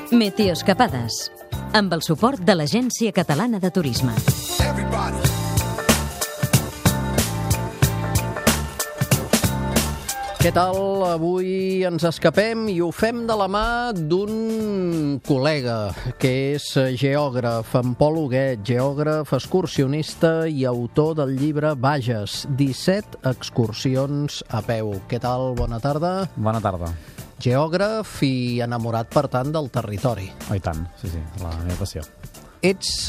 Meteoescapades, amb el suport de l'Agència Catalana de Turisme. Què tal? Avui ens escapem i ho fem de la mà d'un col·lega que és geògraf, en Pol Huguet, geògraf, excursionista i autor del llibre Bages, 17 excursions a peu. Què tal? Bona tarda. Bona tarda. Geògraf i enamorat, per tant, del territori. Oh, i tant, sí, la meva passió. Ets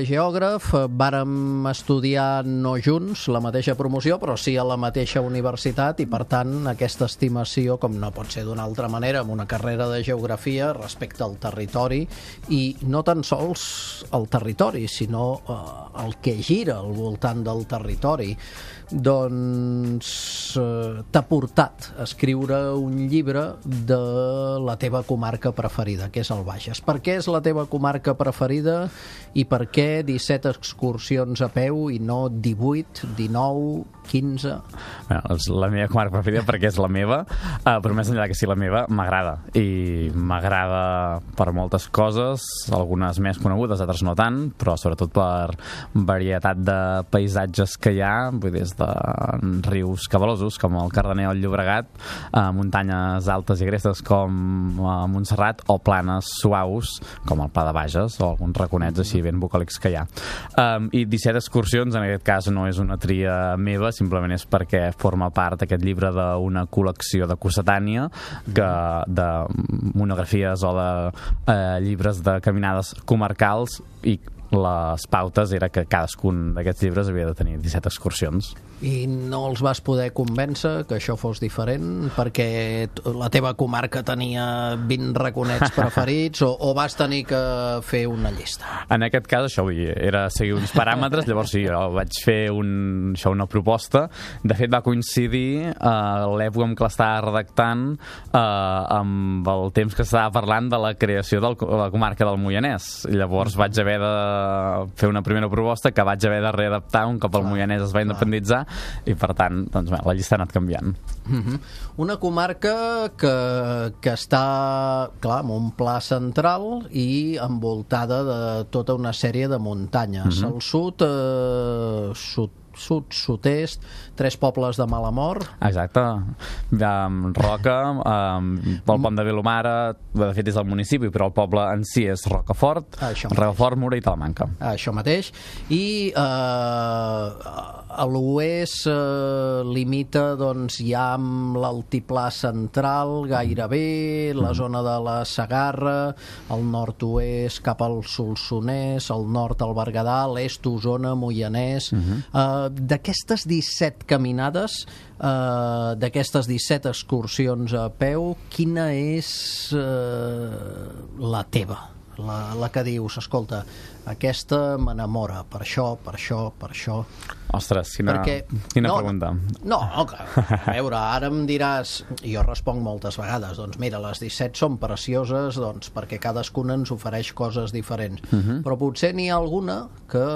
geògraf, vàrem estudiar no junts la mateixa promoció, però sí a la mateixa universitat i, per tant, aquesta estimació, com no pot ser d'una altra manera, amb una carrera de geografia respecte al territori, i no tan sols el territori, sinó el que gira al voltant del territori. Doncs t'ha portat a escriure un llibre de la teva comarca preferida, que és el Bages. Per què és la teva comarca preferida i per què 17 excursions a peu i no 18, 19, 15? Bé, és la meva comarca preferida perquè és la meva, però més enllà que sigui la meva, m'agrada. I m'agrada per moltes coses, algunes més conegudes, altres no tant, però sobretot per varietat de paisatges que hi ha, vull dir, des de rius cabalosos com el Cardener o el Llobregat, muntanyes altes i agrestes com Montserrat, o planes suaus com el Pla de Bages o alguns raconets així ben bucòlics que hi ha. I 17 excursions, en aquest cas, no és una tria meva, simplement és perquè forma part d'aquest llibre d'una col·lecció de Cossetània, de monografies o de llibres de caminades comarcals, i les pautes era que cadascun d'aquests llibres havia de tenir 17 excursions. I no els vas poder convèncer que això fos diferent perquè la teva comarca tenia 20 raconets preferits o vas tenir que fer una llista? En aquest cas això era seguir uns paràmetres, llavors sí, jo vaig fer una proposta. De fet va coincidir l'època en què l'estava redactant amb el temps que s'estava parlant de la creació de la comarca del Moianès. Llavors vaig haver de fer una primera proposta que vaig haver de readaptar un cop el Moianès es va independitzar, i per tant doncs, la llista ha anat canviant. Una comarca que està, clar, en un pla central i envoltada de tota una sèrie de muntanyes. Al sud, sud-est, 3 pobles de Malamor. Exacte. Roca, el pont de Vilomara, de fet és el municipi, però el poble en si és Rocafort, Mura i Talamanca. Això mateix. I a l'oest limita doncs, ja amb l'altiplà central gairebé, la zona de la Segarra, el nord-oest cap al Solsonès, el nord al Berguedà, l'est Osona, Moianès. D'aquestes 17 caminades, d'aquestes 17 excursions a peu, quina és la teva? La que dius, escolta, aquesta m'enamora, per això, per això, per això. Ostres, quina pregunta. No, a veure, ara em diràs, jo responc moltes vegades, doncs mira, les 17 són precioses doncs, perquè cadascuna ens ofereix coses diferents, però potser n'hi ha alguna que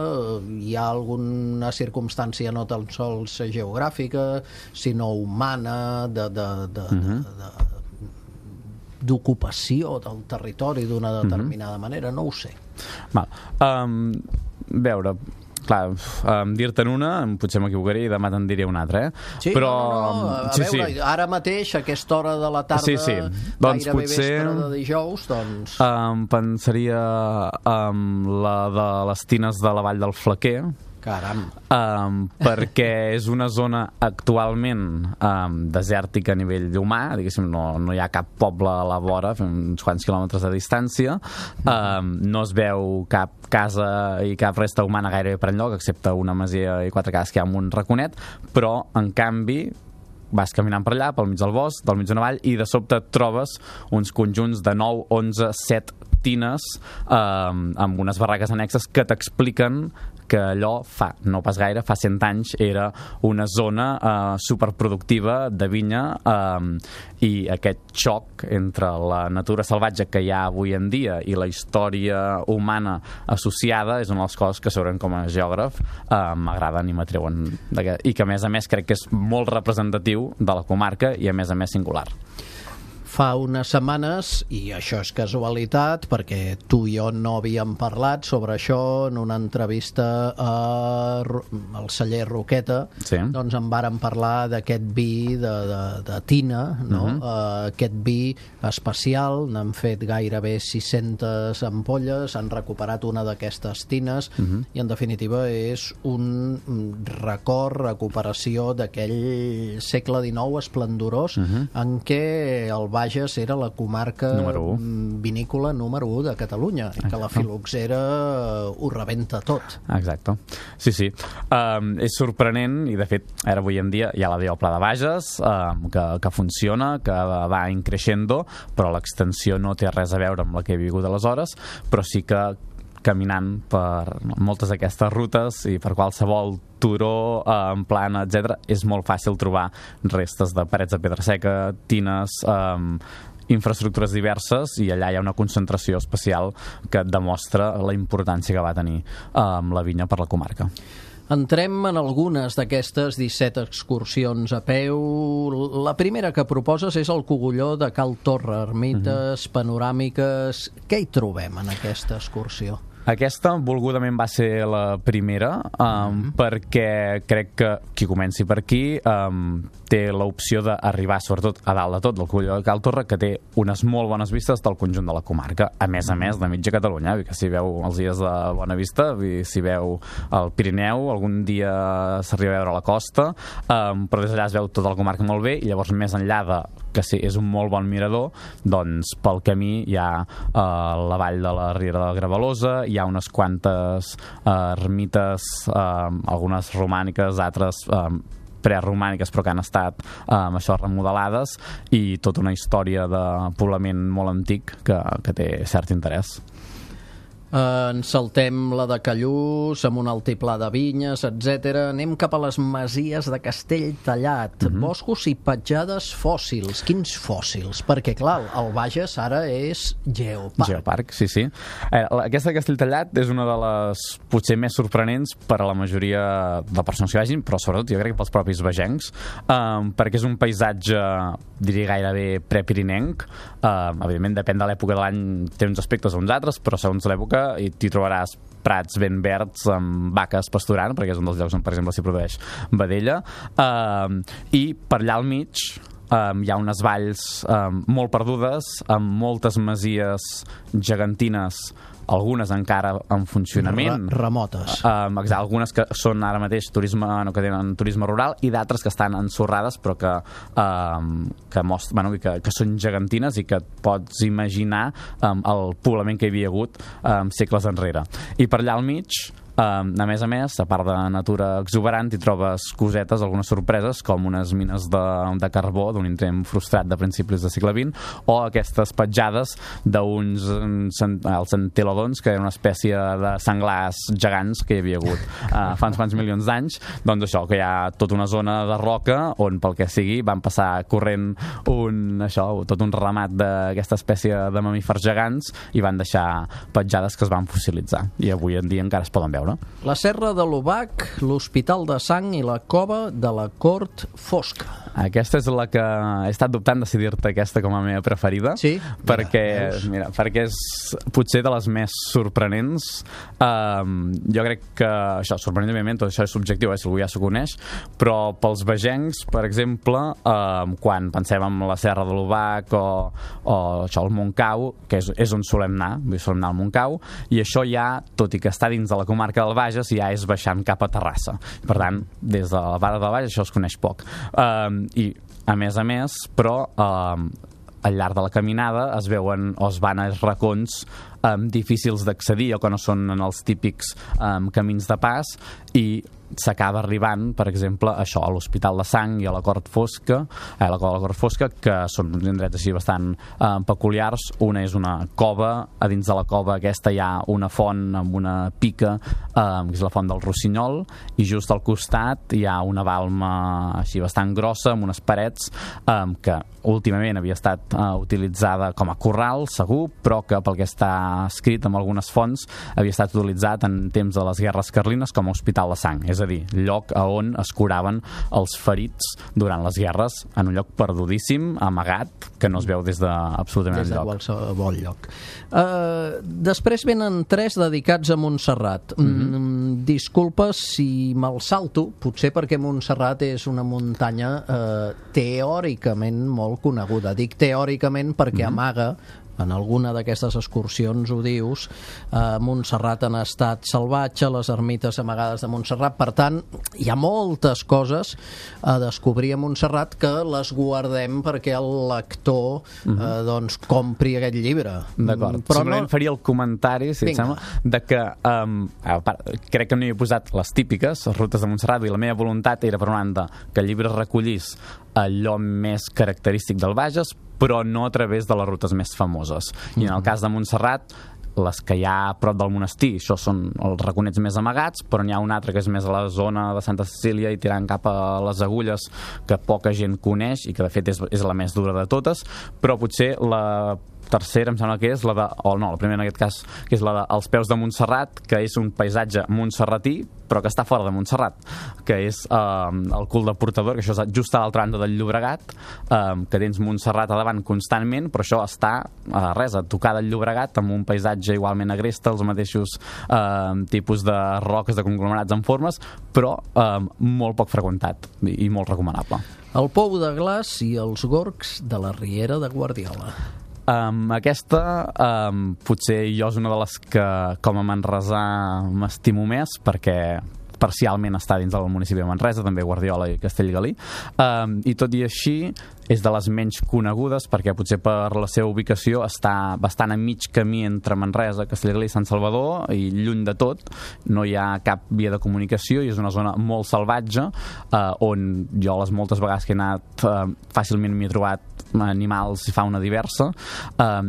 hi ha alguna circumstància no tan sols geogràfica, sinó humana, d'ocupació del territori d'una determinada manera, no ho sé. Veure, clar, dir-te'n una, potser m'equivocaré i demà te'n diré una altra, Sí, però... a veure, ara mateix, a aquesta hora de la tarda, doncs gairebé vespre de dijous, doncs... pensaria la de les tines de la Vall del Flequer. Caram. Perquè és una zona actualment desèrtica a nivell humà, diguéssim, no hi ha cap poble a la vora, uns quants quilòmetres de distància, no es veu cap casa i cap resta humana gairebé per enlloc, excepte una masia i 4 cases que hi ha amb un raconet, però en canvi vas caminant per allà, pel mig del bosc, del mig d'una vall, i de sobte et trobes uns conjunts de 9, 11, 7 tines amb unes barraques annexes que t'expliquen que allò fa, no pas gaire, fa 100 anys era una zona superproductiva de vinya, i aquest xoc entre la natura salvatge que hi ha avui en dia i la història humana associada és una de les coses que segurament com a geògraf m'agraden i m'atreuen, i que a més crec que és molt representatiu de la comarca i a més singular. fa unes setmanes, i això és casualitat perquè tu i jo no havíem parlat sobre això, en una entrevista al celler Roqueta, doncs en vàrem parlar d'aquest vi de tina, no? Aquest vi especial, n'han fet gairebé 600 ampolles, han recuperat una d'aquestes tines i en definitiva és un record, recuperació d'aquell segle XIX esplendorós en què el Bages era la comarca vinícola número 1 de Catalunya i que la filoxera ho rebenta tot. Exacte. Sí. És sorprenent i de fet ara avui en dia hi ha la via al Pla de Bages que funciona, que va increixendo, però l'extensió no té res a veure amb la que he vingut aleshores, però sí que caminant per moltes d'aquestes rutes i per qualsevol turó, en plana, etc., és molt fàcil trobar restes de parets de pedra seca, tines, infraestructures diverses, i allà hi ha una concentració especial que demostra la importància que va tenir la vinya per la comarca. Entrem en algunes d'aquestes 17 excursions a peu. La primera que proposes és el Cogulló de Cal Torra, ermites panoràmiques. Què hi trobem en aquesta excursió? Aquesta, volgudament, va ser la primera, perquè crec que qui comenci per aquí té l'opció d'arribar, sobretot a dalt de tot, del Cogulló de Cal Torra, que té unes molt bones vistes del conjunt de la comarca, a més, de mitja Catalunya, que si veu els dies de bona vista, si veu el Pirineu, algun dia s'arriba a veure la costa, però des d'allà es veu tota la comarca molt bé, i llavors més enllà de que sí, és un molt bon mirador, doncs pel camí hi ha la vall de la Riera de Gravalosa, hi ha unes quantes ermites, algunes romàniques, altres preromàniques, però que han estat remodelades, i tota una història de poblament molt antic que té cert interès. Ens saltem la de Callús, amb un altiplà de vinyes, etc. Anem cap a les masies de Castelltallat, boscos i petjades fòssils. Quins fòssils? Perquè, clar, el Bages ara és geoparc. Geoparc, sí. Aquesta de Castelltallat és una de les potser més sorprenents per a la majoria de persones que vagin, però sobretot jo crec que pels propis bagencs, perquè és un paisatge, diria gairebé prepirinenc. Evidentment, depèn de l'època de l'any, té uns aspectes o uns altres, però segons l'època i t'hi trobaràs prats ben verds amb vaques pasturant, perquè és un dels llocs on, per exemple, s'hi produeix vedella, i per allà al mig hi ha unes valls molt perdudes, amb moltes masies gegantines, algunes encara en funcionament, remotes, algunes que són ara mateix turisme, no, que tenen turisme rural, i d'altres que estan ensorrades però que són gegantines i que et pots imaginar el poblament que hi havia hagut segles enrere. I per allà al mig, a més, a part de natura exuberant, hi trobes cosetes, algunes sorpreses, com unes mines de carbó d'un intent frustrat de principis del segle XX, o aquestes petjades d'uns els entelodons, que era una espècie de senglars gegants que hi havia hagut fa uns quants milions d'anys. Doncs això, que hi ha tota una zona de roca on, pel que sigui, van passar corrent tot un ramat d'aquesta espècie de mamífers gegants i van deixar petjades que es van fossilitzar, i avui en dia encara es poden veure. La Serra de l'Obac, l'Hospital de Sang i la Cova de la Cort Fosca. Aquesta és la que he estat dubtant decidir-te aquesta com a meva preferida, sí? perquè és potser de les més sorprenents. Jo crec que això, sorprenentment, tot això és subjectiu, si algú ja s'ho coneix, però pels bagencs, per exemple, quan pensem en la Serra de l'Obac o això, el Montcau, que és on solem anar al Montcau, i això ja, tot i que està dins de la comarca del Bages, ja és baixant cap a Terrassa. Per tant, des de la Vara del Bages això es coneix poc. I, a més, però al llarg de la caminada es veuen o es van als racons difícils d'accedir o que no són en els típics camins de pas, i s'acaba arribant, per exemple, això, a l'Hospital de Sang i a la Cort Fosca, la Cova de la Cort Fosca, que són uns indrets així bastant peculiars. Una és una cova, a dins de la cova aquesta hi ha una font amb una pica, que és la font del Rossinyol, i just al costat hi ha una balma així bastant grossa, amb unes parets, que últimament havia estat utilitzada com a corral, segur, però que pel que està escrit en algunes fonts havia estat utilitzat en temps de les guerres carlines com a hospital de sang. És a dir, lloc a on es curaven els ferits durant les guerres, en un lloc perdudíssim, amagat, que no es veu des d'absolutament des de enlloc. qualsevol lloc. Després venen 3 dedicats a Montserrat. Disculpa si me'l salto, potser perquè Montserrat és una muntanya teòricament molt coneguda. Dic teòricament perquè amaga, en alguna d'aquestes excursions ho dius, Montserrat en estat salvatge, les ermites amagades de Montserrat. Per tant, hi ha moltes coses a descobrir a Montserrat que les guardem perquè el lector doncs compri aquest llibre. D'acord, però simplement faria el comentari, si et sembla, de que crec que no hi he posat les típiques, les rutes de Montserrat, i la meva voluntat era, per una banda, que el llibre recollís allò més característic del Bages, però no a través de les rutes més famoses. I en el cas de Montserrat, les que hi ha a prop del monestir, això són els raconets més amagats, però n'hi ha una altra que és més a la zona de Santa Cecília i tirant cap a les Agulles, que poca gent coneix i que de fet és la més dura de totes, però potser la tercera em sembla que és la de, o no, la primera en aquest cas, que és la de Els peus de Montserrat, que és un paisatge montserratí, però que està fora de Montserrat, que és el cul de Portador, que això és just a l'altra banda del Llobregat, que tens Montserrat a davant constantment, però això està a tocar del Llobregat, amb un paisatge igualment agreste, els mateixos tipus de roques, de conglomerats en formes, però molt poc freqüentat i molt recomanable. El Pou de Glaç i els gorgs de la Riera de Guardiola. Aquesta potser jo és una de les que com a manresà m'estimo més, perquè parcialment està dins del municipi de Manresa, també Guardiola i Castellgalí, i tot i així és de les menys conegudes perquè potser per la seva ubicació està bastant a mig camí entre Manresa, Castellgalí i Sant Salvador, i lluny de tot, no hi ha cap via de comunicació i és una zona molt salvatge, on jo les moltes vegades que he anat fàcilment m'hi he trobat animals i fauna diversa,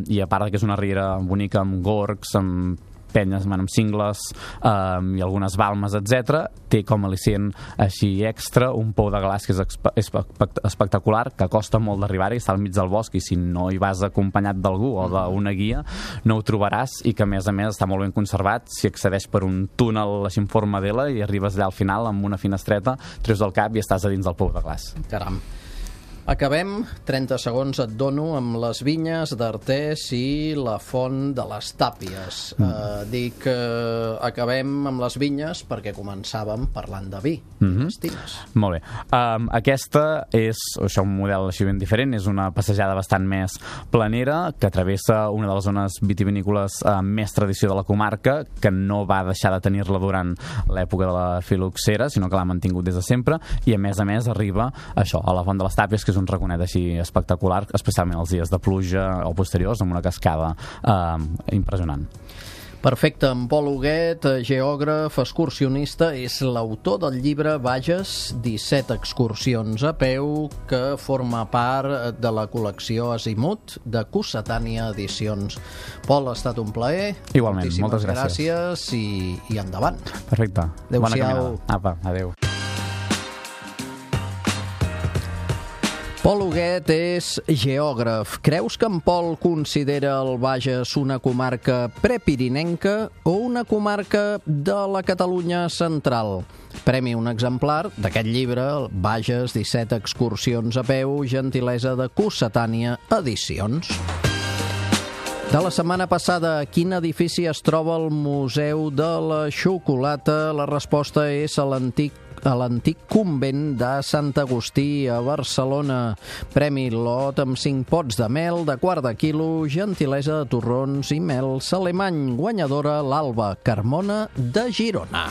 i a part que és una riera bonica amb gorgs, amb penyes, amb cingles i algunes balmes, etc. Té com a al·licient així extra un pou de glaç que és espectacular, que costa molt d'arribar-hi, està al mig del bosc, i si no hi vas acompanyat d'algú o d'una guia no ho trobaràs, i que a més està molt ben conservat. Si accedeix per un túnel així en forma d'L i arribes allà al final amb una finestreta, treus del cap i estàs a dins del pou de glaç. Caram. Acabem, 30 segons et dono, amb les vinyes d'Artés i la font de les Tàpies. Dic acabem amb les vinyes perquè començàvem parlant de vi. Estines. Molt bé. Aquesta és un model així ben diferent, és una passejada bastant més planera que travessa una de les zones vitivinícoles amb més tradició de la comarca, que no va deixar de tenir-la durant l'època de la filoxera, sinó que l'ha mantingut des de sempre, i a més arriba a la font de les Tàpies, que és un raconet així espectacular, especialment els dies de pluja o posteriors, amb una cascada impressionant. Perfecte, en Pol Huguet, geògraf, excursionista, és l'autor del llibre Bages, 17 excursions a peu, que forma part de la col·lecció Azimut de Cossetània Edicions. Pol, ha estat un plaer. Igualment, moltes gràcies. I endavant. Perfecte. Bona caminada. Apa, adéu. Pol Huguet és geògraf. Creus que en Pol considera el Bages una comarca prepirinenca o una comarca de la Catalunya central? Premi un exemplar d'aquest llibre, Bages, 17 excursions a peu, gentilesa de Cossetània Edicions. De la setmana passada, a quin edifici es troba el Museu de la Xocolata? La resposta és a l'antic convent de Sant Agustí a Barcelona. Premi lot amb 5 pots de mel de quart de quilo, gentilesa de torrons i mel Alemany. Guanyadora l'Alba Carmona de Girona.